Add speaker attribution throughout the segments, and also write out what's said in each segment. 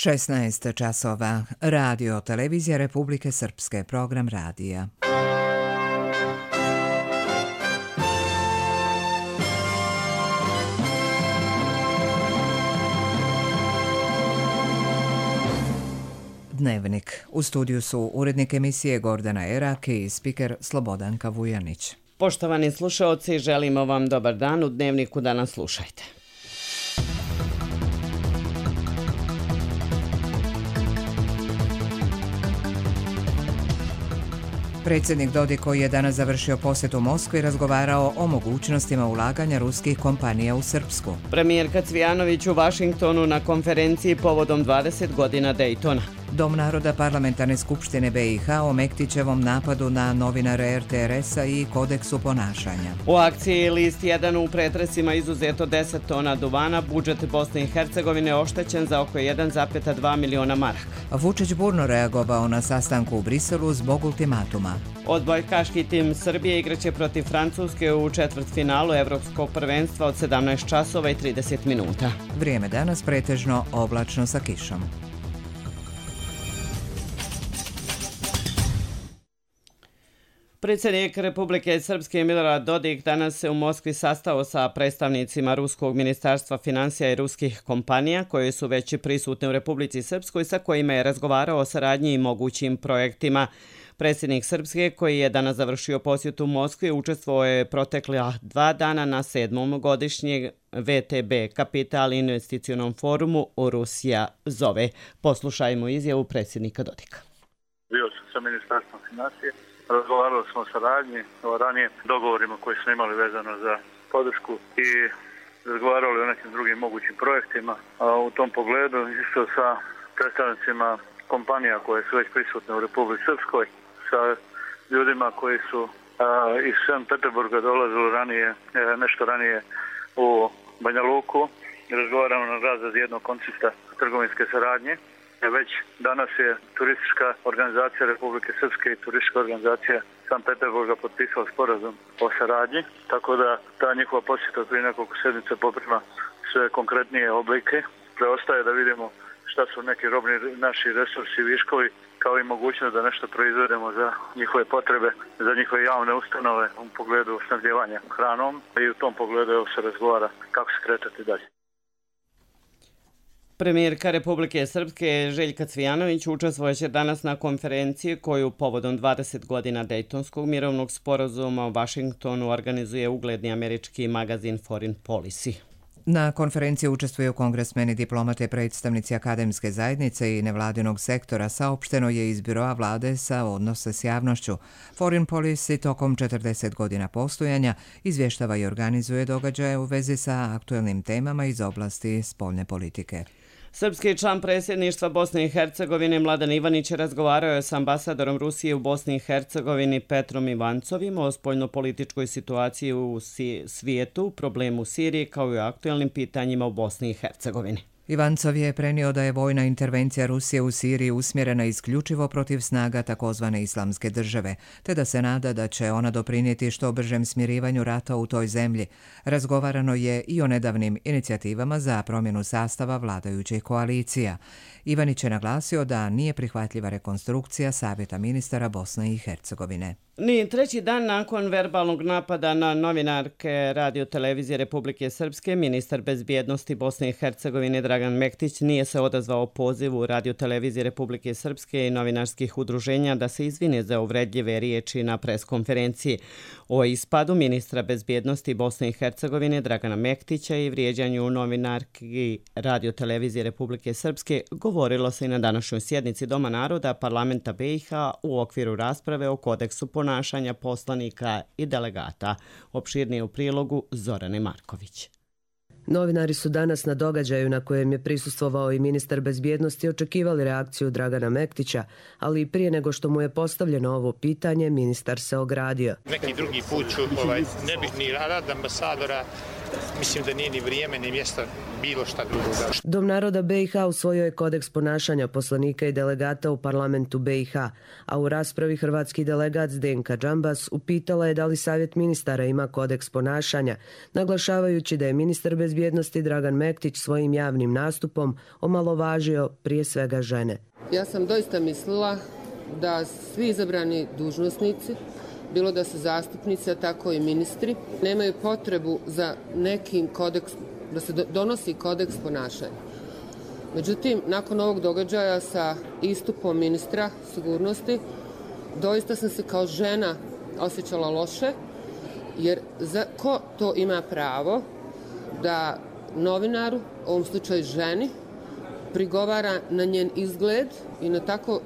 Speaker 1: 16 časova. Radio Televizija Republike Srpske. Program radija. Dnevnik. U studiju su urednik emisije Gordana Erak i spiker Slobodanka Vujanić.
Speaker 2: Poštovani slušaoci, želimo vam dobar dan. U Dnevniku danas slušajte.
Speaker 1: Predsjednik Dodik, koji je danas završio posjet u Moskvi, razgovarao o mogućnostima ulaganja ruskih kompanija u Srpsku.
Speaker 2: Premijerka Cvijanović u Vašingtonu na konferenciji povodom 20 godina Daytona.
Speaker 1: Dom naroda Parlamentarne skupštine BiH o Mektićevom napadu na novinare RTRS-a i kodeksu ponašanja.
Speaker 2: U akciji List 1 u pretresima izuzeto 10 tona duvana, budžet Bosne i Hercegovine oštećen za oko 1,2 miliona maraka.
Speaker 1: Vučić burno reagovao na sastanku u Briselu zbog ultimatuma.
Speaker 2: Odbojkaški tim Srbije igraće protiv Francuske u četvrtfinalu Evropskog prvenstva od 17 časova i 30 minuta.
Speaker 1: Vrijeme danas pretežno oblačno sa kišom.
Speaker 2: Predsjednik Republike Srpske Milorad Dodik danas se u Moskvi sastao sa predstavnicima Ruskog ministarstva financija i ruskih kompanija koje su već prisutne u Republici Srpskoj, sa kojima je razgovarao o saradnji i mogućim projektima. Predsjednik Srpske, koji je danas završio posjet u Moskvi, učestvovao je protekla 2 dana na 7. godišnjeg VTB Kapital investicionom forumu u Rusija zove. Poslušajmo izjavu predsjednika Dodika.
Speaker 3: Bio sam sa ministarstvom financije. Razgovarali smo o saradnji, o ranije dogovorima koji smo imali vezano za podršku i razgovarali o nekim drugim mogućim projektima. A u tom pogledu isto sa predstavnicima kompanija koje su već prisutne u Republici Srpskoj, sa ljudima koji su iz Sankt Peterburga dolazili nešto ranije u Banja Luku. Razgovaramo na razradi jednog koncepta trgovinske saradnje. Već danas je turistička organizacija Republike Srpske i turistička organizacija Sankt Peterburga potpisala sporazum o saradnji, tako da ta njihova posjeta prije nekoliko sedmica poprima sve konkretnije oblike. Preostaje da vidimo šta su neki robni naši resursi i viškovi, kao i mogućnost da nešto proizvedemo za njihove potrebe, za njihove javne ustanove u pogledu snabdijevanja hranom i u tom pogledu se razgovara kako se kretati dalje.
Speaker 2: Premijerka Republike Srpske Željka Cvijanović učestvovaće danas na konferenciji koju povodom 20 godina Dejtonskog mirovnog sporazuma u Vašingtonu organizuje ugledni američki magazin Foreign Policy.
Speaker 1: Na konferenciji učestvuju kongresmeni, diplomate, predstavnici akademske zajednice i nevladinog sektora, saopšteno je iz biroa vlade sa odnose s javnošću. Foreign Policy tokom 40 godina postojanja izvještava i organizuje događaje u vezi sa aktuelnim temama iz oblasti spoljne politike.
Speaker 2: Srpski član predsjedništva Bosne i Hercegovine Mladen Ivanić razgovarao je s ambasadorom Rusije u Bosni i Hercegovini Petrom Ivancovim o spoljnopolitičkoj situaciji u svijetu, problemu Sirije kao i o aktuelnim pitanjima u Bosni i Hercegovini.
Speaker 1: Ivancov je prenio da je vojna intervencija Rusije u Siriji usmjerena isključivo protiv snaga takozvane islamske države, te da se nada da će ona doprinijeti što bržem smirivanju rata u toj zemlji. Razgovarano je i o nedavnim inicijativama za promjenu sastava vladajućih koalicija. Ivanić je naglasio da nije prihvatljiva rekonstrukcija Savjeta ministara Bosne i Hercegovine.
Speaker 2: Ni treći dan nakon verbalnog napada na novinarke Radio Televizije Republike Srpske, ministar bezbjednosti Bosne i Hercegovine Dragan Mektić nije se odazvao pozivu Radio Televizije Republike Srpske i novinarskih udruženja da se izvine za uvredljive riječi na preskonferenciji. O ispadu ministra bezbjednosti Bosne i Hercegovine Dragana Mektića i vrijeđanju novinarki Radio Televizije Republike Srpske govorilo se i na današnjoj sjednici Doma naroda Parlamenta BiH u okviru rasprave o kodeksu ponašanja poslanika i delegata. Opširnije u prilogu Zorane Marković.
Speaker 4: Novinari su danas na događaju na kojem je prisustvovao i ministar bezbjednosti očekivali reakciju Dragana Mektića, ali i prije nego što mu je postavljeno ovo pitanje, ministar se ogradio.
Speaker 5: Neki drugi put ću ne bih ni rad ambasadora mislim da nije ni vrijeme ni mjesto bilo šta drugo.
Speaker 4: Dom naroda BiH usvojio je kodeks ponašanja poslanika i delegata u parlamentu BiH, a u raspravi hrvatski delegat Zdenka Džambas upitala je da li Savjet ministara ima kodeks ponašanja, naglašavajući da je ministar bezbjednosti Dragan Mektić svojim javnim nastupom omalovažio prije svega žene.
Speaker 6: Ja sam doista mislila da svi izabrani dužnosnici, bilo da su zastupnici, a tako i ministri, nemaju potrebu za nekim kodeks, da se donosi kodeks ponašanja. Međutim, nakon ovog događaja sa istupom ministra sigurnosti, doista sam se kao žena osjećala loše, jer ko to ima pravo da novinaru, u ovom slučaju ženi, prigovara na njen izgled i na tako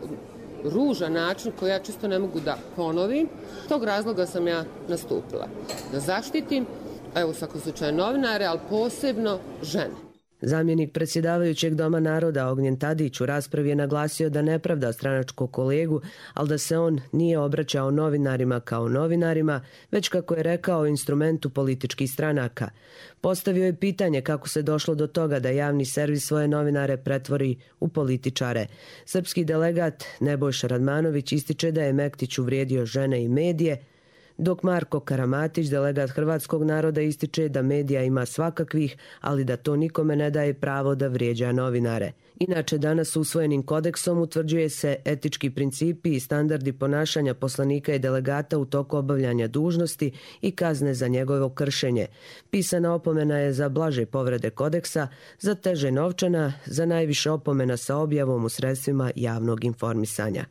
Speaker 6: ružan način koji ja čisto ne mogu da ponovim. Tog razloga sam ja nastupila. Da zaštitim, evo u svakom slučaju novinare, ali posebno žene.
Speaker 4: Zamjenik predsjedavajućeg Doma naroda Ognjen Tadić u raspravi je naglasio da ne pravda stranačkog kolegu, ali da se on nije obraćao novinarima kao novinarima, već kako je rekao instrumentu političkih stranaka. Postavio je pitanje kako se došlo do toga da javni servis svoje novinare pretvori u političare. Srpski delegat Nebojša Radmanović ističe da je Mektić uvrijedio žene i medije, dok Marko Karamatić, delegat hrvatskog naroda, ističe da medija ima svakakvih, ali da to nikome ne daje pravo da vrijeđa novinare. Inače, danas usvojenim kodeksom utvrđuje se etički principi i standardi ponašanja poslanika i delegata u toku obavljanja dužnosti i kazne za njegovo kršenje. Pisana opomena je za blaže povrede kodeksa, za teže novčana, za najviše opomena sa objavom u sredstvima javnog informisanja.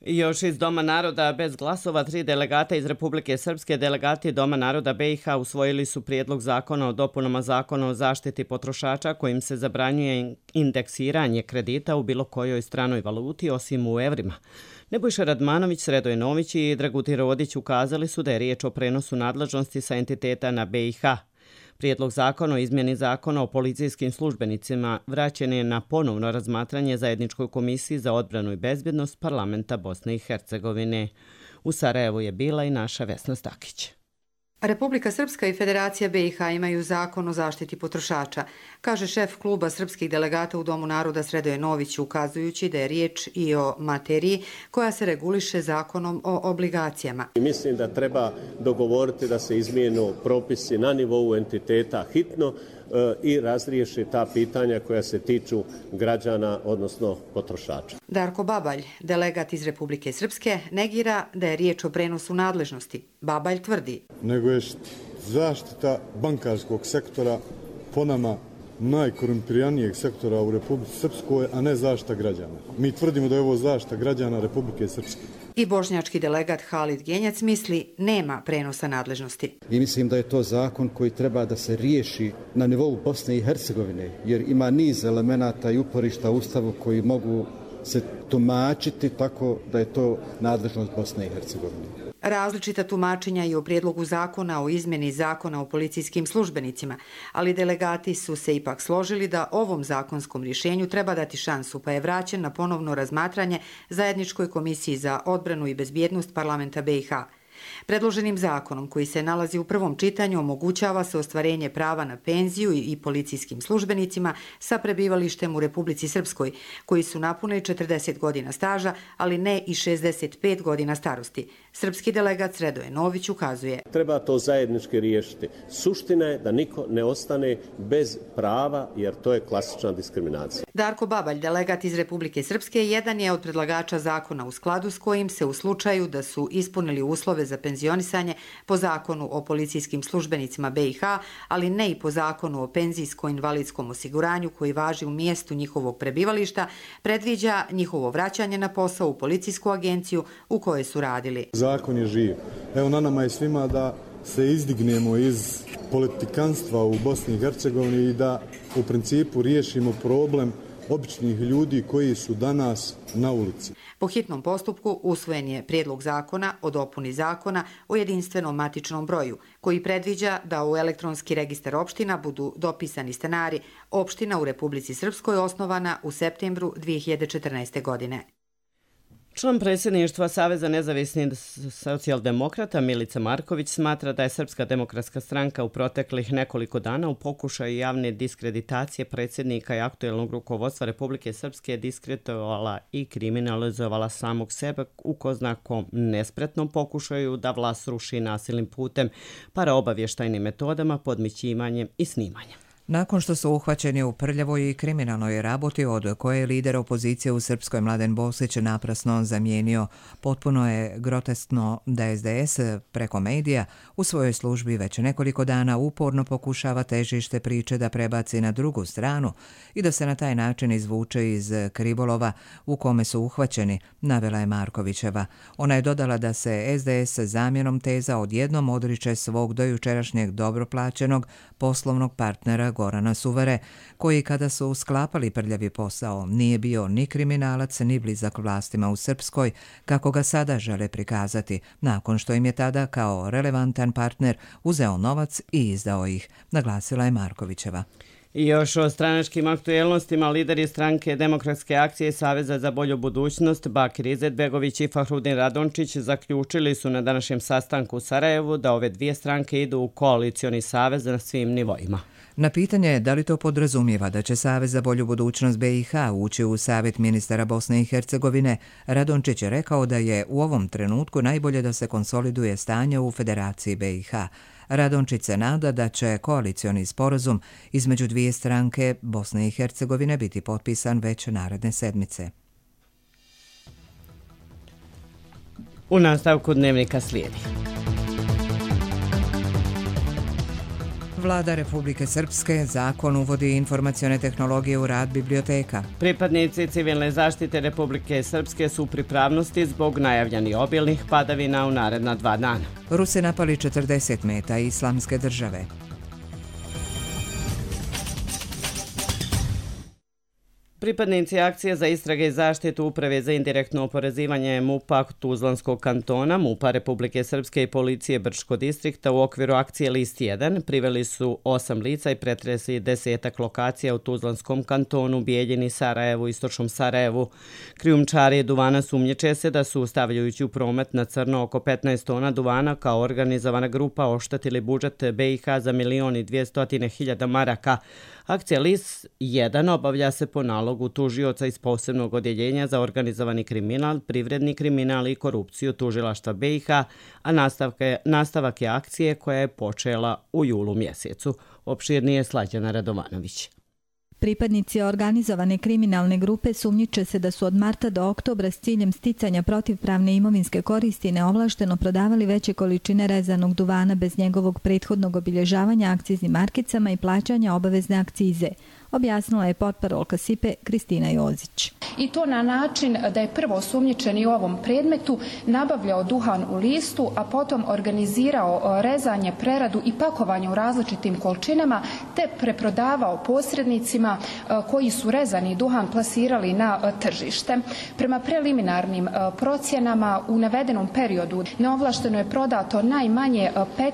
Speaker 2: Još iz Doma naroda bez glasova 3 delegata iz Republike Srpske, delegati Doma naroda BiH usvojili su prijedlog zakona o dopunama zakona o zaštiti potrošača kojim se zabranjuje indeksiranje kredita u bilo kojoj stranoj valuti osim u evrima. Nebojša Radmanović, Sredoje Nović i Dragutin Rodić ukazali su da je riječ o prenosu nadležnosti sa entiteta na BiH. Prijedlog zakona o izmjeni zakona o policijskim službenicima vraćen je na ponovno razmatranje Zajedničkoj komisiji za odbranu i bezbjednost Parlamenta Bosne i Hercegovine. U Sarajevu je bila i naša Vesna Stakić.
Speaker 7: Republika Srpska i Federacija BiH imaju zakon o zaštiti potrošača, kaže šef kluba srpskih delegata u Domu naroda Sredoje Nović, ukazujući da je riječ i o materiji koja se reguliše zakonom o obligacijama.
Speaker 8: Mislim da treba dogovoriti da se izmijenu propisi na nivou entiteta hitno i razriješi ta pitanja koja se tiču građana, odnosno potrošača.
Speaker 7: Darko Babalj, delegat iz Republike Srpske, negira da je riječ o prenosu nadležnosti. Babalj tvrdi:
Speaker 9: nego je zaštita bankarskog sektora po nama najkorumpiranijeg sektora u Republici Srpskoj, a ne zaštita građana. Mi tvrdimo da je ovo zaštita građana Republike Srpske.
Speaker 7: I bošnjački delegat Halid Genjac misli nema prenosa nadležnosti.
Speaker 10: I mislim da je to zakon koji treba da se riješi na nivou Bosne i Hercegovine, jer ima niz elemenata i uporišta u Ustavu koji mogu se tumačiti tako da je to nadležnost Bosne i Hercegovine.
Speaker 7: Različita tumačenja i o prijedlogu zakona o izmjeni zakona o policijskim službenicima, ali delegati su se ipak složili da ovom zakonskom rješenju treba dati šansu, pa je vraćen na ponovno razmatranje Zajedničkoj komisiji za odbranu i bezbjednost Parlamenta BiH. Predloženim zakonom koji se nalazi u prvom čitanju omogućava se ostvarenje prava na penziju i policijskim službenicima sa prebivalištem u Republici Srpskoj, koji su napunili 40 godina staža, ali ne i 65 godina starosti. Srpski delegat Sredoje Nović ukazuje:
Speaker 8: treba to zajednički riješiti. Suština je da niko ne ostane bez prava, jer to je klasična diskriminacija.
Speaker 7: Darko Babalj, delegat iz Republike Srpske, jedan je od predlagača zakona u skladu s kojim se u slučaju da su ispunili uslove za penzionisanje po zakonu o policijskim službenicima BiH, ali ne i po zakonu o penzijsko-invalidskom osiguranju koji važi u mjestu njihovog prebivališta, predviđa njihovo vraćanje na posao u policijsku agenciju u kojoj su radili.
Speaker 9: Zakon je živ. Evo na nama je svima da se izdignemo iz politikanstva u Bosni i Hercegovini i da u principu riješimo problem običnih ljudi koji su danas na ulici.
Speaker 7: Po hitnom postupku usvojen je prijedlog zakona o dopuni zakona o jedinstvenom matičnom broju, koji predviđa da u elektronski registar opština budu dopisani stanari opština u Republici Srpskoj osnovana u septembru 2014. godine.
Speaker 2: Član predsjedništva Saveza nezavisnih socijaldemokrata Milica Marković smatra da je Srpska demokratska stranka u proteklih nekoliko dana u pokušaju javne diskreditacije predsjednika i aktuelnog rukovodstva Republike Srpske diskreditovala i kriminalizovala samog sebe u ko zna kom nespretnom pokušaju da vlast ruši nasilnim putem, paraobavještajnim metodama, podmićivanjem i snimanjem.
Speaker 1: Nakon što su uhvaćeni u prljavoj i kriminalnoj raboti od koje je lider opozicije u Srpskoj Mladen Bosić naprasno zamijenio, potpuno je groteskno da SDS preko medija u svojoj službi već nekoliko dana uporno pokušava težište priče da prebaci na drugu stranu i da se na taj način izvuče iz krivolova u kome su uhvaćeni, navela je Markovićeva. Ona je dodala da se SDS zamjenom teza odjednom odriče svog dojučerašnjeg dobro plaćenog poslovnog partnera Gorana Suvare, koji kada su sklapali prljavi posao nije bio ni kriminalac ni blizak vlastima u Srpskoj, kako ga sada žele prikazati, nakon što im je tada kao relevantan partner uzeo novac i izdao ih, naglasila je Markovićeva.
Speaker 2: I još o stranačkim aktuelnostima, lideri stranke Demokratske akcije Saveza za bolju budućnost Bakir Izetbegović i Fahrudin Radončić zaključili su na današnjem sastanku u Sarajevu da ove dvije stranke idu u koalicioni savez na svim nivoima.
Speaker 1: Na pitanje da li to podrazumijeva da će Savez za bolju budućnost BiH ući u Savjet ministara Bosne i Hercegovine, Radončić je rekao da je u ovom trenutku najbolje da se konsoliduje stanje u Federaciji BiH. Radončić se nada da će koalicioni sporazum između dvije stranke Bosne i Hercegovine biti potpisan već naredne sedmice.
Speaker 2: U nastavku dnevnika slijedi.
Speaker 1: Vlada Republike Srpske zakon uvodi informacione tehnologije u rad biblioteka.
Speaker 2: Pripadnici civilne zaštite Republike Srpske su u pripravnosti zbog najavljenih obilnih padavina u naredna 2 dana.
Speaker 1: Rusi napali 40 meta Islamske države.
Speaker 2: Pripadnici akcije za istrage i zaštitu Uprave za indirektno oporezivanje MUP-a Tuzlanskog kantona, MUP-a Republike Srpske i policije Brčko distrikta u okviru akcije List 1 priveli su 8 lica i pretresli 10 lokacija u Tuzlanskom kantonu, Bijeljini, Sarajevu, Istočnom Sarajevu. Krijumčari duvana sumnjiče se da su, stavljajući u promet na crno oko 15 tona duvana, kao organizovana grupa oštetili budžet BiH za 1.200.000 maraka. Akcija List 1 obavlja se po nalogu tužioca iz posebnog odjeljenja za organizovani kriminal, privredni kriminal i korupciju tužilaštva BiH, a nastavak je akcije koja je počela u julu mjesecu. Opširnije Slađana Radovanović.
Speaker 11: Pripadnici organizovane kriminalne grupe sumnjiče se da su od marta do oktobra s ciljem sticanja protivpravne imovinske koristi neovlašteno prodavali veće količine rezanog duvana bez njegovog prethodnog obilježavanja akciznim markicama i plaćanja obavezne akcize, objasnila je potparolka SIPE Kristina Jozić.
Speaker 12: I to na način da je prvo osumnjičeni u ovom predmetu nabavljao duhan u listu, a potom organizirao rezanje, preradu i pakovanje u različitim količinama, te preprodavao posrednicima koji su rezani duhan plasirali na tržište. Prema preliminarnim procjenama u navedenom periodu neovlašteno je prodato najmanje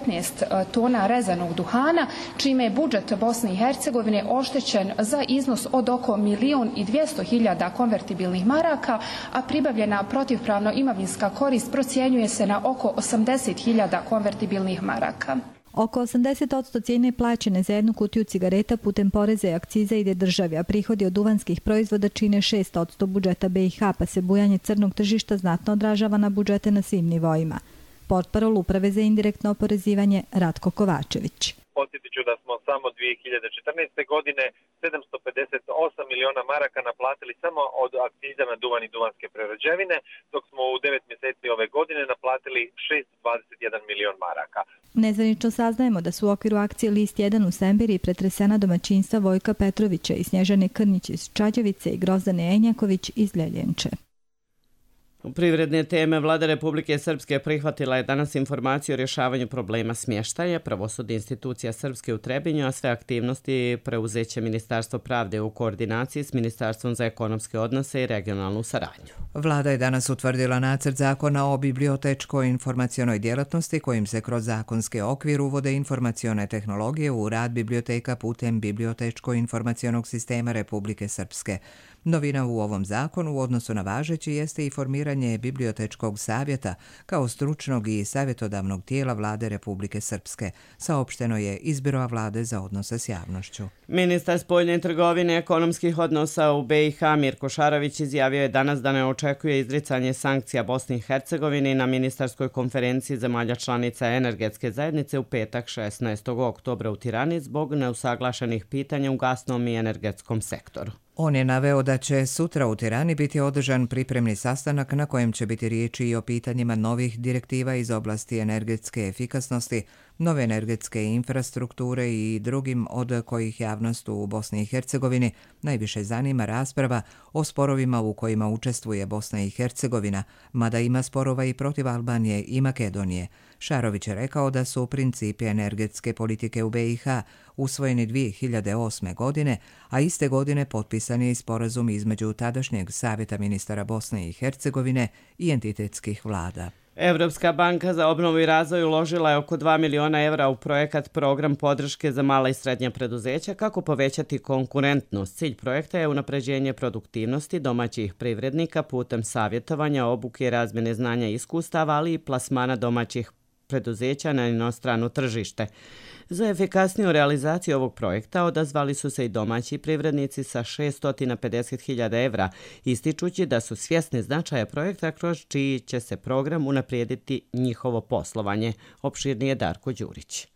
Speaker 12: 15 tona rezanog duhana, čime je budžet Bosne i Hercegovine oštećen za iznos od oko 1.200.000 konvertibilnih maraka, a pribavljena protivpravno imovinska korist procjenjuje se na oko 80.000 konvertibilnih maraka.
Speaker 11: Oko 80% cijene plaćene za jednu kutiju cigareta putem poreza i akciza ide državi, a prihodi od duvanskih proizvoda čine 6% budžeta BiH, pa se bujanje crnog tržišta znatno odražava na budžete na svim nivoima. Portparol Uprave za indirektno oporezivanje Ratko Kovačević.
Speaker 13: Podsjetit ću da smo samo 2014. godine 758 miliona maraka naplatili samo od akciza na duvan i duvanske prerađevine, dok smo u 9 mjeseci ove godine naplatili 621 milion maraka.
Speaker 11: Nezvanično saznajemo da su u okviru akcije List 1 u Sembiri pretresena domaćinstva Vojka Petrovića i Snježane Krnjić iz Čađevice i Grozdane Enjaković iz Ljeljenče.
Speaker 2: U privredne teme Vlada Republike Srpske prihvatila je danas informaciju o rješavanju problema smještaja, pravosudne institucija Srpske u Trebinju, a sve aktivnosti preuzeće Ministarstvo pravde u koordinaciji s Ministarstvom za ekonomske odnose i regionalnu saradnju.
Speaker 1: Vlada je danas utvrdila nacrt zakona o bibliotečkoj informacionoj djelatnosti kojim se kroz zakonski okvir uvode informacione tehnologije u rad biblioteka putem bibliotečko-informacionog sistema Republike Srpske. Novina u ovom zakonu u odnosu na važeći jeste i formiranje osnivanje Bibliotečkog savjeta kao stručnog i savjetodavnog tijela Vlade Republike Srpske, saopšteno je iz Biroa Vlade za odnose s javnošću.
Speaker 2: Ministar spoljne trgovine i ekonomskih odnosa u BiH Mirko Šarović izjavio je danas da ne očekuje izricanje sankcija Bosni i Hercegovini na ministarskoj konferenciji zemalja članica energetske zajednice u petak 16. oktobra u Tirani zbog neusaglašenih pitanja u gasnom i energetskom sektoru.
Speaker 1: On je naveo da će sutra u Tirani biti održan pripremni sastanak na kojem će biti riječi i o pitanjima novih direktiva iz oblasti energetske efikasnosti, nove energetske infrastrukture i drugim od kojih javnost u Bosni i Hercegovini najviše zanima rasprava o sporovima u kojima učestvuje Bosna i Hercegovina, mada ima sporova i protiv Albanije i Makedonije. Šarović je rekao da su principi energetske politike u BiH usvojeni 2008. godine, a iste godine potpisan je i sporazum između tadašnjeg Savjeta ministara Bosne i Hercegovine i entitetskih vlada.
Speaker 2: Evropska banka za obnovu i razvoj uložila je oko 2 miliona evra u projekat Program podrške za mala i srednja preduzeća kako povećati konkurentnost. Cilj projekta je unapređenje produktivnosti domaćih privrednika putem savjetovanja, obuke i razmjene znanja i iskustava, ali i plasmana domaćih preduzeća na inostrano tržište. Za efikasniju realizaciju ovog projekta odazvali su se i domaći privrednici sa 650.000 evra, ističući da su svjesni značaja projekta kroz čiji će se program unaprijediti njihovo poslovanje. Opširnije Darko Đurić.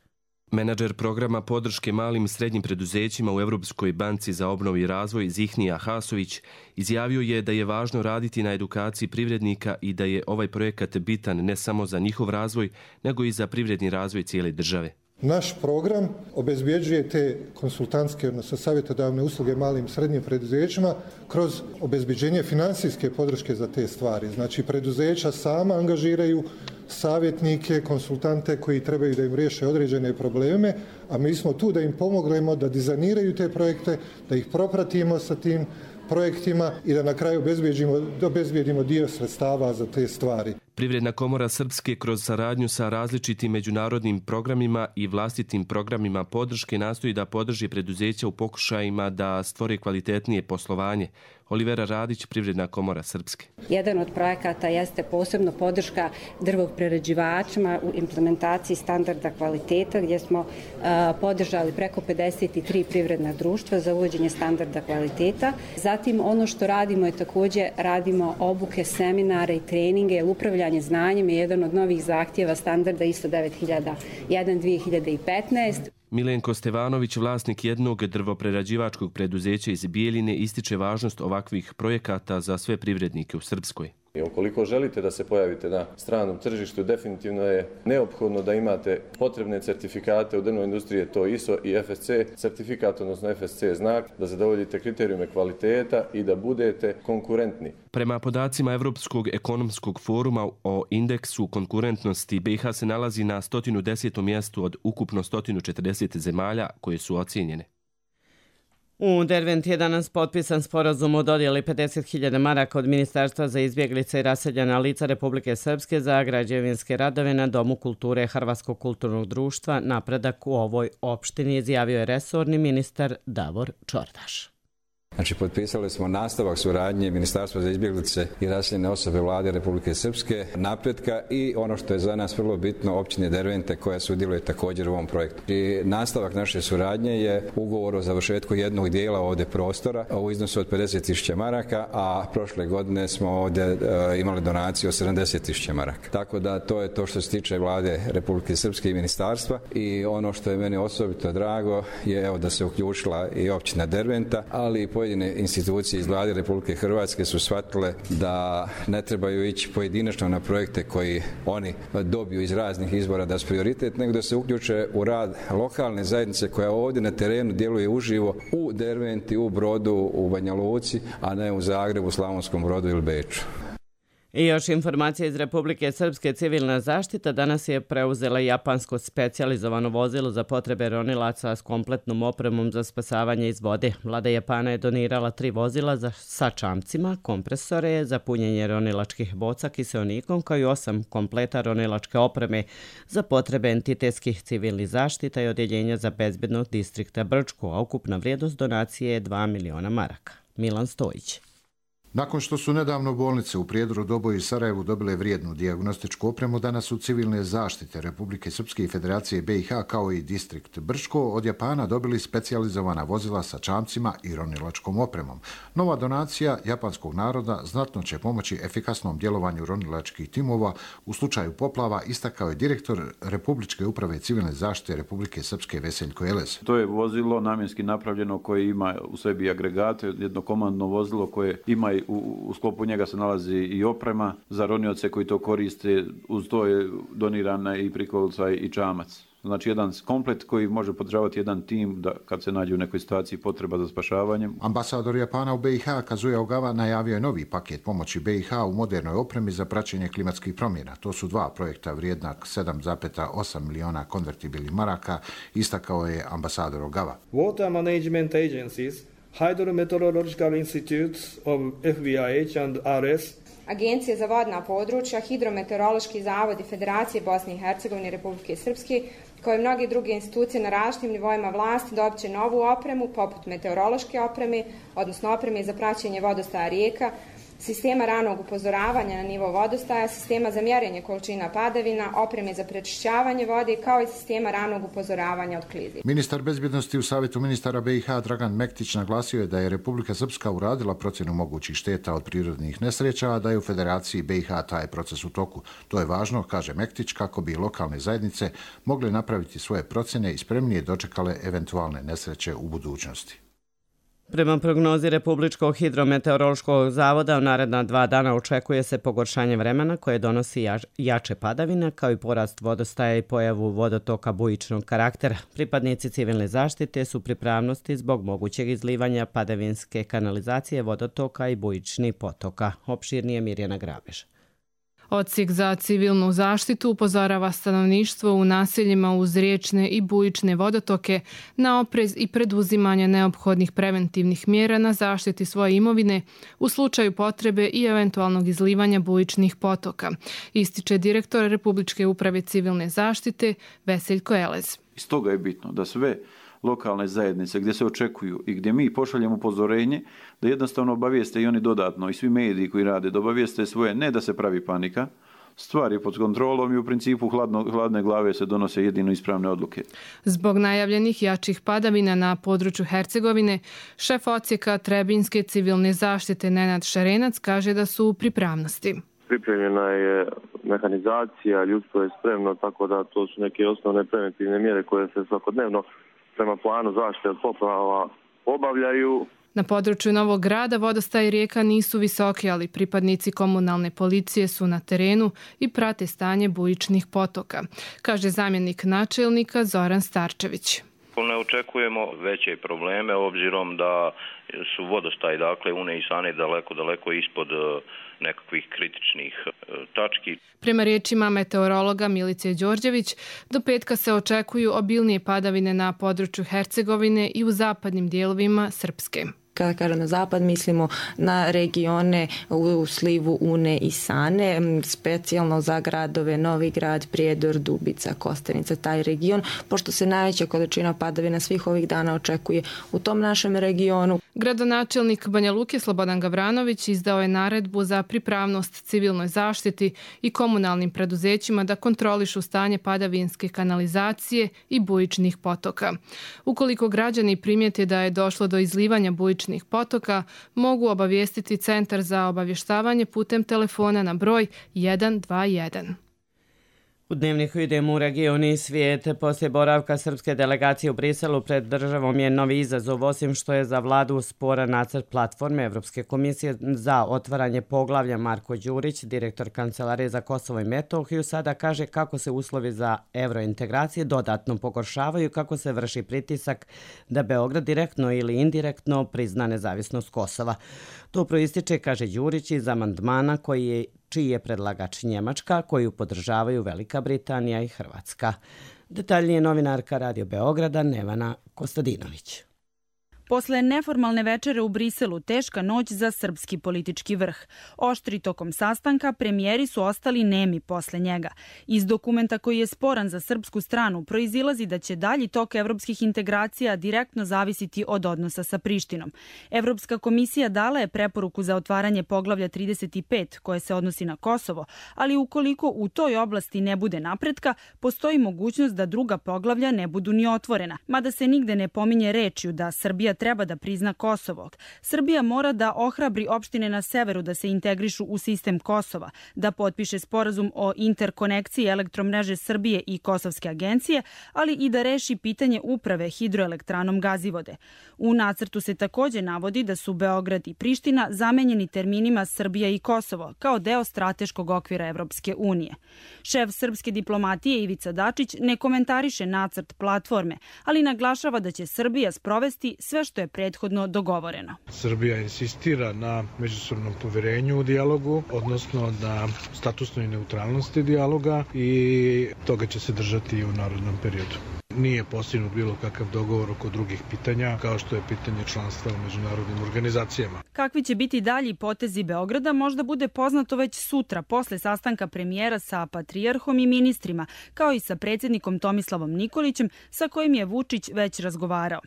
Speaker 14: Menadžer programa podrške malim i srednjim preduzećima u Europskoj banci za obnovu i razvoj Zihnija Hasović izjavio je da je važno raditi na edukaciji privrednika i da je ovaj projekat bitan ne samo za njihov razvoj, nego i za privredni razvoj cijele države.
Speaker 15: Naš program obezbjeđuje te konsultantske, odnosno savjetodavne usluge malim i srednjim preduzećima kroz obezbjeđenje financijske podrške za te stvari. Znači, preduzeća sama angažiraju savjetnike, konsultante koji trebaju da im riješe određene probleme, a mi smo tu da im pomognemo da dizajniraju te projekte, da ih propratimo sa tim projektima i da na kraju obezbijedimo dio sredstava za te stvari.
Speaker 14: Privredna komora Srpske kroz saradnju sa različitim međunarodnim programima i vlastitim programima podrške nastoji da podrži preduzeća u pokušajima da stvore kvalitetnije poslovanje. Olivera Radić, Privredna komora Srpske.
Speaker 16: Jedan od projekata jeste posebno podrška drvoprerađivačima u implementaciji standarda kvaliteta, gdje smo podržali preko 53 privredna društva za uvođenje standarda kvaliteta. Zatim ono što radimo je također radimo obuke, seminare i treninge, jer upravljanje znanjem je jedan od novih zahtjeva standarda ISO 9001-2015.
Speaker 14: Milenko Stevanović, vlasnik jednog drvoprerađivačkog preduzeća iz Bijeljine, ističe važnost ovakvih projekata za sve privrednike u Srpskoj.
Speaker 17: I ukoliko želite da se pojavite na stranom tržištu, definitivno je neophodno da imate potrebne certifikate u drvnoj industriji, to ISO i FSC certifikat, odnosno FSC znak, da zadovoljite kriterijume kvaliteta i da budete konkurentni.
Speaker 14: Prema podacima Evropskog ekonomskog foruma o indeksu konkurentnosti, BiH se nalazi na 110. mjestu od ukupno 140 zemalja koje su ocijenjene.
Speaker 2: U Derventi je danas potpisan sporazum o dodjeli 50.000 maraka od Ministarstva za izbjeglice i raseljena lica Republike Srpske za građevinske radove na Domu kulture Hrvatskog kulturnog društva. Napredak u ovoj opštini izjavio je resorni ministar Davor Čordaš.
Speaker 18: Znači, potpisali smo nastavak suradnje Ministarstva za izbjeglice i raseljene osobe Vlade Republike Srpske, napretka i ono što je za nas vrlo bitno, općine Dervente koja sudjeluje također u ovom projektu. I nastavak naše suradnje je ugovor o završetku jednog dijela ovdje prostora u iznosu od 50.000 maraka, a prošle godine smo ovdje imali donaciju od 70.000 maraka. Tako da to je to što se tiče Vlade Republike Srpske i ministarstva i ono što je meni osobito drago je evo da se uključila i općina Derventa, ali i pojedine institucije iz Vlade Republike Hrvatske su shvatile da ne trebaju ići pojedinačno na projekte koji oni dobiju iz raznih izvora da su prioritet, nego da se uključe u rad lokalne zajednice koja ovdje na terenu djeluje uživo u Derventi, u Brodu, u Banja Luci, a ne u Zagrebu, Slavonskom Brodu ili Beču.
Speaker 2: I još informacije iz Republike Srpske. Civilna zaštita danas je preuzela japansko specijalizovano vozilo za potrebe ronilaca s kompletnom opremom za spasavanje iz vode. Vlada Japana je donirala 3 vozila sa čamcima, kompresore za punjenje ronilačkih boca kiseonikom, kao i 8 kompleta ronilačke opreme za potrebe entitetskih civilnih zaštita i odjeljenja za bezbednog distrikta Brčko, a ukupna vrijednost donacije je 2 miliona maraka. Milan Stojić.
Speaker 19: Nakon što su nedavno bolnice u Prijedoru, Doboju i Sarajevu dobile vrijednu dijagnostičku opremu, danas su civilne zaštite Republike Srpske i Federacije BiH kao i distrikt Brčko od Japana dobili specijalizovana vozila sa čamcima i ronilačkom opremom. Nova donacija japanskog naroda znatno će pomoći efikasnom djelovanju ronilačkih timova u slučaju poplava, istakao je direktor Republičke uprave civilne zaštite Republike Srpske Veseljko Elez.
Speaker 20: To je vozilo namjenski napravljeno koje ima u sebi agregate, jedno komandno vozilo koje ima u sklopu njega se nalazi i oprema za ronioce koji to koriste, uz to je donirana i prikolica i čamac. Znači jedan komplet koji može podržavati jedan tim da kad se nađe u nekoj situaciji potreba za spašavanjem.
Speaker 19: Ambasador Japana u BiH Kazuya Ogawa najavio je novi paket pomoći BiH u modernoj opremi za praćenje klimatskih promjena. To su dva projekta vrijedna 7,8 miliona konvertibilnih maraka, istakao je ambasador Ogawa.
Speaker 21: Water management agencies, Hydrometeorological Institutes of FVIH and RS,
Speaker 22: Agencije za vodna područja, Hidrometeorološki zavod i Federacije Bosne i Hercegovine i Republike Srpske, kao i mnoge druge institucije na različitim nivoima vlasti dobit će novu opremu, poput meteorološke opreme, odnosno opreme za praćenje vodostaja rijeka, sistema ranog upozoravanja na nivo vodostaja, sistema za mjerenje količina padavina, opreme za prečišćavanje vode, kao i sistema ranog upozoravanja od klizi.
Speaker 19: Ministar bezbjednosti u Savjetu ministara BiH Dragan Mektić naglasio je da je Republika Srpska uradila procjenu mogućih šteta od prirodnih nesreća, a da je u Federaciji BiH taj proces u toku. To je važno, kaže Mektić, kako bi lokalne zajednice mogle napraviti svoje procjene i spremnije dočekale eventualne nesreće u budućnosti.
Speaker 2: Prema prognozi Republičkog hidrometeorološkog zavoda, u naredna 2 dana očekuje se pogoršanje vremena koje donosi jače padavine, kao i porast vodostaja i pojavu vodotoka bujičnog karaktera. Pripadnici civilne zaštite su pripravnosti zbog mogućeg izlivanja padavinske kanalizacije, vodotoka i bujičnih potoka. Opširnije Mirjana Grabež.
Speaker 23: Odsjek za civilnu zaštitu upozorava stanovništvo u naseljima uz riječne i bujične vodotoke na oprez i preduzimanje neophodnih preventivnih mjera na zaštiti svoje imovine u slučaju potrebe i eventualnog izlivanja bujičnih potoka, ističe direktor Republičke uprave civilne zaštite Veseljko Elez.
Speaker 20: Iz toga je bitno da sve lokalne zajednice gdje se očekuju i gdje mi pošaljemo upozorenje da jednostavno obavijeste i oni dodatno i svi mediji koji rade da obavijeste svoje, ne da se pravi panika, stvar je pod kontrolom i u principu hladne glave se donose jedino ispravne odluke.
Speaker 23: Zbog najavljenih jačih padavina na području Hercegovine, šef odsjeka Trebinjske civilne zaštite Nenad Šarenac kaže da su u pripravnosti.
Speaker 24: Pripremljena je mehanizacija, ljudstvo je spremno, tako da to su neke osnovne preventivne mjere koje se svakodnevno prema planu zaštite od poplava obavljaju.
Speaker 23: Na području Novog Grada vodostaji rijeka nisu visoki, ali pripadnici komunalne policije su na terenu i prate stanje bujičnih potoka, kaže zamjenik načelnika Zoran Starčević.
Speaker 25: Ne očekujemo veće probleme obzirom da su vodostaji, dakle Une i Sane daleko ispod nekakvih kritičnih tački.
Speaker 23: Prema riječima meteorologa Milice Đorđević, do petka se očekuju obilnije padavine na području Hercegovine i u zapadnim dijelovima Srpske.
Speaker 26: Kada kažem na zapad, mislimo na regione u slivu Une i Sane, specijalno za gradove Novi Grad, Prijedor, Dubica, Kostenica, taj region, pošto se najveća količina padavina svih ovih dana očekuje u tom našem regionu.
Speaker 23: Gradonačelnik Banja Luke Slobodan Gavranović izdao je naredbu za pripravnost civilnoj zaštiti i komunalnim preduzećima da kontrolišu stanje padavinske kanalizacije i bujičnih potoka. Ukoliko građani primijete da je došlo do izlivanja bujičnih potoka, mogu obavijestiti Centar za obavještavanje putem telefona na broj 121.
Speaker 2: U Dnevniku idemo u region i svijet. Poslije boravka srpske delegacije u Briselu pred državom je novi izazov, osim što je za vladu sporan nacrt platforme Evropske komisije za otvaranje poglavlja. Marko Đurić, direktor Kancelarije za Kosovo i Metohiju, sada kaže kako se uslovi za evrointegracije dodatno pogoršavaju, kako se vrši pritisak da Beograd direktno ili indirektno prizna nezavisnost Kosova. To proističe, kaže Đurić, iz amandmana čiji je predlagač Njemačka, koju podržavaju Velika Britanija i Hrvatska. Detaljnije novinarka Radio Beograda Nevana Kostadinović.
Speaker 3: Posle neformalne večere u Briselu, teška noć za srpski politički vrh. Oštri tokom sastanka, premijeri su ostali nemi posle njega. Iz dokumenta koji je sporan za srpsku stranu proizilazi da će dalji tok evropskih integracija direktno zavisiti od odnosa sa Prištinom. Evropska komisija dala je preporuku za otvaranje poglavlja 35 koje se odnosi na Kosovo, ali ukoliko u toj oblasti ne bude napretka, postoji mogućnost da druga poglavlja ne budu ni otvorena, mada se nigde ne pominje rečju da Srbija treba da prizna Kosovo. Srbija mora da ohrabri opštine na severu da se integrišu u sistem Kosova, da potpiše sporazum o interkonekciji elektromreže Srbije i Kosovske agencije, ali i da reši pitanje uprave hidroelektranom Gazivode. U nacrtu se takođe navodi da su Beograd i Priština zamenjeni terminima Srbija i Kosovo kao deo strateškog okvira Evropske unije. Šef srpske diplomatije Ivica Dačić ne komentariše nacrt platforme, ali naglašava da će Srbija sprovesti sve što je prethodno dogovoreno.
Speaker 4: Srbija insistira na međusobnom poverenju u dijalogu, odnosno na statusnoj neutralnosti dijaloga i toga će se držati i u narodnom periodu. Nije postignut bilo kakav dogovor oko drugih pitanja, kao što je pitanje članstva u međunarodnim organizacijama.
Speaker 3: Kakvi će biti dalji potezi Beograda možda bude poznato već sutra, posle sastanka premijera sa patrijarhom i ministrima, kao i sa predsjednikom Tomislavom Nikolićem, sa kojim je Vučić već razgovarao.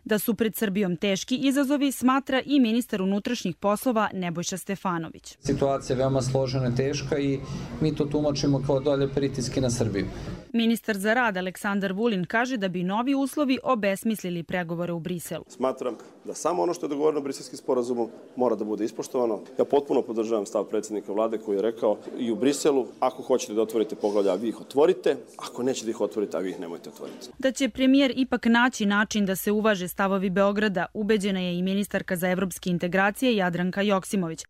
Speaker 3: Da su pred Srbijom teški izazovi, smatra i ministar unutrašnjih poslova Nebojša Stefanović.
Speaker 5: Situacija je veoma složena i teška i mi to tumačimo kao dalje pritiske na Srbiju.
Speaker 3: Ministar za rad Aleksandar Vulin kaže da bi novi uslovi obesmislili pregovore u Briselu.
Speaker 6: Smatram da samo ono što je dogovoreno Briselskim sporazumom mora da bude ispoštovano. Ja potpuno podržavam stav predsjednika vlade koji je rekao i u Briselu, ako hoćete da otvorite poglavlja, vi ih otvorite, ako nećete da ih otvorite, a vi ih nemojte otvoriti.
Speaker 3: Da će premijer ipak naći način da se uvaže stavovi Beograda, ubeđena je i ministarka za evropske integracije Jadranka Joksimović.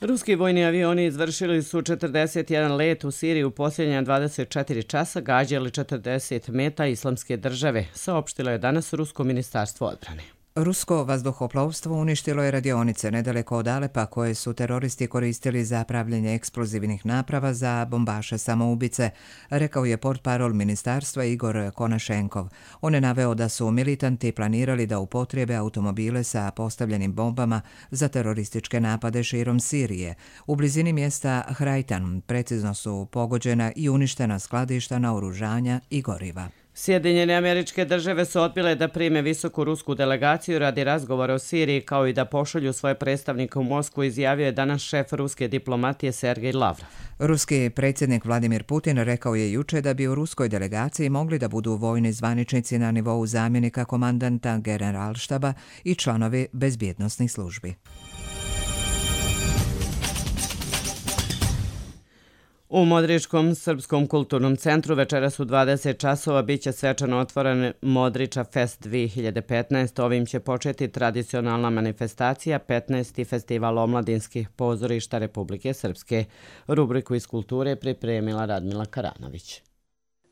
Speaker 2: Ruski vojni avioni izvršili su 41 let u Siriji u posljednja 24 časa, gađali 40 meta Islamske države, saopštilo je danas Rusko ministarstvo odbrane.
Speaker 1: Rusko vazduhoplovstvo uništilo je radionice nedaleko od Alepa koje su teroristi koristili za pravljenje eksplozivnih naprava za bombaše samoubice, rekao je portparol ministarstva Igor Konašenkov. On je naveo da su militanti planirali da upotrijebe automobile sa postavljenim bombama za terorističke napade širom Sirije. U blizini mjesta Hrajtan precizno su pogođena i uništena skladišta naoružanja i goriva.
Speaker 2: Sjedinjene Američke Države su odbile da prime visoku rusku delegaciju radi razgovora o Siriji kao i da pošalju svoje predstavnike u Moskvu, izjavio je danas šef ruske diplomatije Sergej Lavrov.
Speaker 1: Ruski predsjednik Vladimir Putin rekao je juče da bi u ruskoj delegaciji mogli da budu vojni zvaničnici na nivou zamjenika komandanta generalštaba i članovi bezbjednosnih službi.
Speaker 2: U Modričkom srpskom kulturnom centru večeras u 20 časova biće svečano otvoren Modriča Fest 2015. Ovim će početi tradicionalna manifestacija 15. festival omladinskih pozorišta Republike Srpske. Rubriku iz kulture pripremila Radmila Karanović.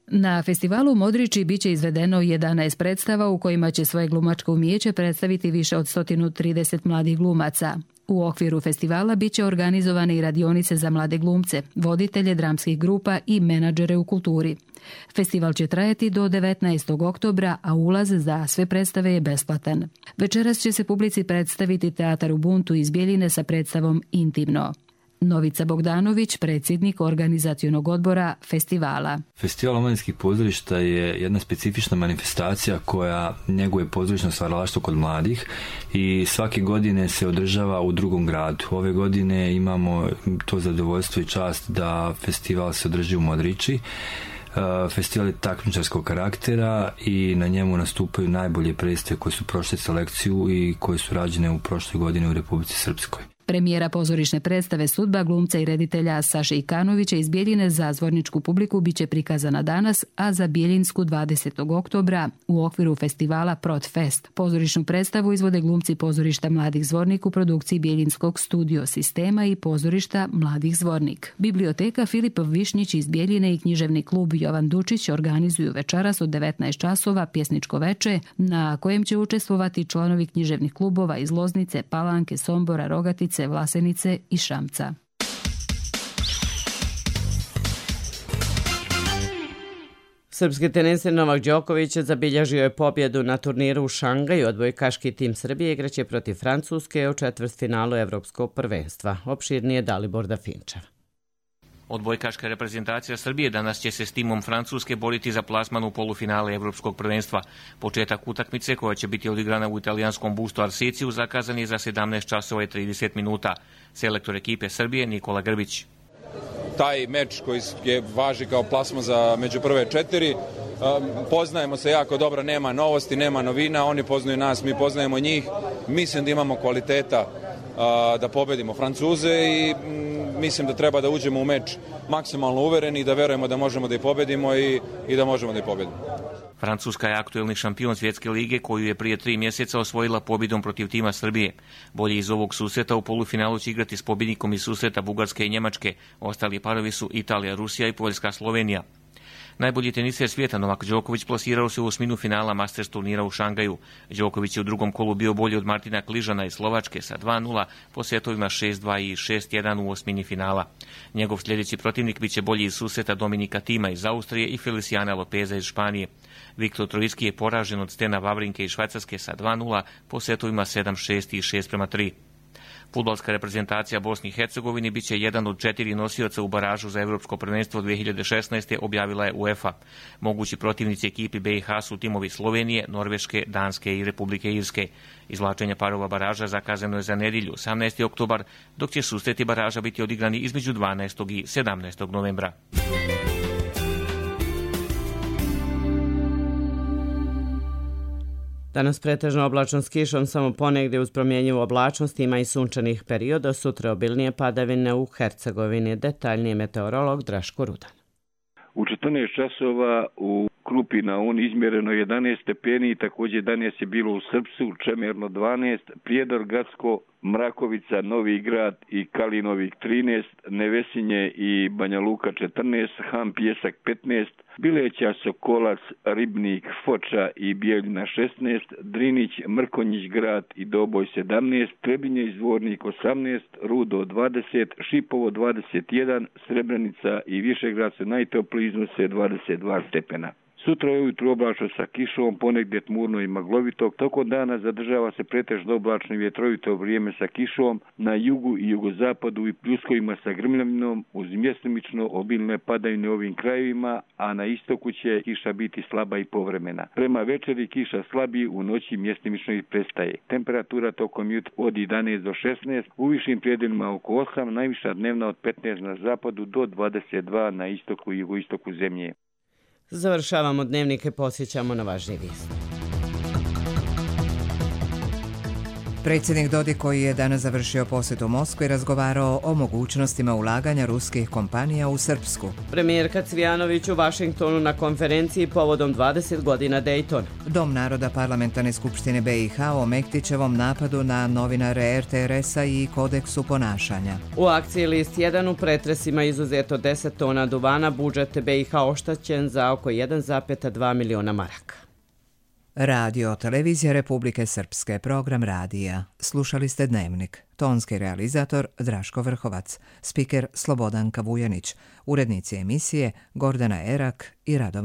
Speaker 8: Na festivalu Modriči biće izvedeno 11 predstava u kojima će svoje glumačko umijeće predstaviti više od 130 mladih glumaca. U okviru festivala biće organizovane i radionice za mlade glumce, voditelje dramskih grupa i menadžere u kulturi. Festival će trajati do 19. oktobra, a ulaz za sve predstave je besplatan. Večeras će se publici predstaviti Teatar Ubuntu iz Bjeljine sa predstavom Intimno. Novica Bogdanović, predsjednik organizacionog odbora festivala.
Speaker 10: Festival omladinskih pozorišta je jedna specifična manifestacija koja njeguje pozorišno stvaralaštvo kod mladih i svake godine se održava u drugom gradu. Ove godine imamo to zadovoljstvo i čast da festival se održi u Modriči. Festival je takmičarskog karaktera i na njemu nastupaju najbolje predstave koje su prošle selekciju i koje su rađene u prošloj godini u Republici Srpskoj.
Speaker 8: Premijera pozorišne predstave Sudba glumca i reditelja Saše Ikanovića iz Bjeljine za zvorničku publiku biće prikazana danas, a za Bjeljinsku 20. oktobra u okviru festivala Protfest. Pozorišnu predstavu izvode glumci pozorišta Mladih Zvornik u produkciji Bjeljinskog studio sistema i pozorišta Mladih Zvornik. Biblioteka Filipov Višnjić iz Bjeljine i književni klub Jovan Dučić organizuju večeras od 19 časova pjesničko veče na kojem će učestvovati članovi književnih klubova iz Loznice, Palanke, Sombora, Rogatice, Vlasenice i Šamca.
Speaker 2: Srpski teniser Novak Đoković zabilježio je pobjedu na turniru u Šangaju. Odbojkaški tim Srbije igraće protiv Francuske u četvrtfinalu Evropskog prvenstva. Opširnije Dalibor Dafinčev.
Speaker 7: Odbojkaška reprezentacija Srbije danas će se s timom Francuske boriti za plasman u polufinale Evropskog prvenstva. Početak utakmice, koja će biti odigrana u italijanskom Busto Arsiciju, zakazan je za 17 časova i 30 minuta. Selektor ekipe Srbije Nikola Grbić.
Speaker 9: Taj meč koji je važi kao plasman za među prve 4, poznajemo se jako dobro, nema novosti, nema novina, oni poznaju nas, mi poznajemo njih. Mislim da imamo kvaliteta da pobedimo Francuze i mislim da treba da uđemo u meč maksimalno uvereni i da verujemo da možemo da ih pobedimo i da možemo da ih pobedimo.
Speaker 7: Francuska je aktuelni šampion svjetske lige koju je prije 3 mjeseca osvojila pobjedom protiv tima Srbije. Bolje iz ovog susreta u polufinalu će igrati s pobjednikom iz susreta Bugarske i Njemačke. Ostali parovi su Italija, Rusija i Poljska, Slovenija. Najbolji teniser svijeta Novak Đoković plasirao se u osminu finala Masters turnira u Šangaju. Đoković je u drugom kolu bio bolji od Martina Kližana iz Slovačke sa 2:0 po setovima 6:2 i 6:1 u osmini finala. Njegov sljedeći protivnik biće bolji iz susreta Dominika Tima iz Austrije i Feliciana Lopeza iz Španije. Viktor Trojski je poražen od Stena Vavrinke iz Švajcarske sa 2:0 po setovima 7:6 i 6:3. Fudbalska reprezentacija Bosni i Hercegovine biće jedan od 4 nosioca u baražu za Evropsko prvenstvo 2016. objavila je UEFA. Mogući protivnici ekipi BiH su timovi Slovenije, Norveške, Danske i Republike Irske. Izvlačenje parova baraža zakazano je za nedjelju, 18. oktobar, dok će susreti baraža biti odigrani između 12. i 17. novembra.
Speaker 2: Danas pretežno oblačno s kišom, samo ponegdje uz promjenjivu oblačnost, ima i sunčanih perioda, sutra obilnije padavine u Hercegovini. Detaljnije meteorolog Draško Rudan.
Speaker 11: U 14 časova u Krupi na Un izmjereno 11 stepeni, također 11 je bilo u Srpsu, Čemerno 12, Prijedor, Gacko, Mrakovica, Novi Grad i Kalinovik 13, Nevesinje i Banja Luka 14, Han Pjesak 15, Bileća, Sokolac, Ribnik, Foča i Bijeljina 16, Drinić, Mrkonjić Grad i Doboj 17, Trebinje i Zvornik 18, Rudo 20, Šipovo 21, Srebrenica i Višegrad su najtopliji, iznose 22 stepena. Sutra je ujutro oblačno sa kišom, ponegdje tmurno i maglovito. Tokom dana zadržava se pretežno oblačno i vjetrovito vrijeme sa kišom na jugu i jugozapadu i pljuskovima sa grmljavinom uz mjestomično obilne padavine u ovim krajevima, a na istoku će kiša biti slaba i povremena. Prema večeri kiša slabi, u noći mjestomično i prestaje. Temperatura tokom jutra od 11 do 16, u višim prijedelima oko 8, najviša dnevna od 15 na zapadu do 22 na istoku i jugoistoku zemlje.
Speaker 2: Završavamo dnevnike, posjećamo na važnije vijesti.
Speaker 1: Predsjednik Dodik, koji je danas završio posjet u Moskvi, razgovarao o mogućnostima ulaganja ruskih kompanija u Srpsku.
Speaker 2: Premijerka Cvijanović u Vašingtonu na konferenciji povodom 20 godina Daytona.
Speaker 1: Dom naroda Parlamentarne skupštine BiH o Mektićevom napadu na novinare RTRS-a i kodeksu ponašanja.
Speaker 2: U akciji List 1 u pretresima izuzeto 10 tona duvana, budžet BiH oštećen za oko 1,2 miliona maraka.
Speaker 1: Radio Televizija Republike Srpske, program radija. Slušali ste Dnevnik. Tonski realizator Draško Vrhovac, spiker Slobodanka Vujanić, urednici emisije Gordana Erak i Radovan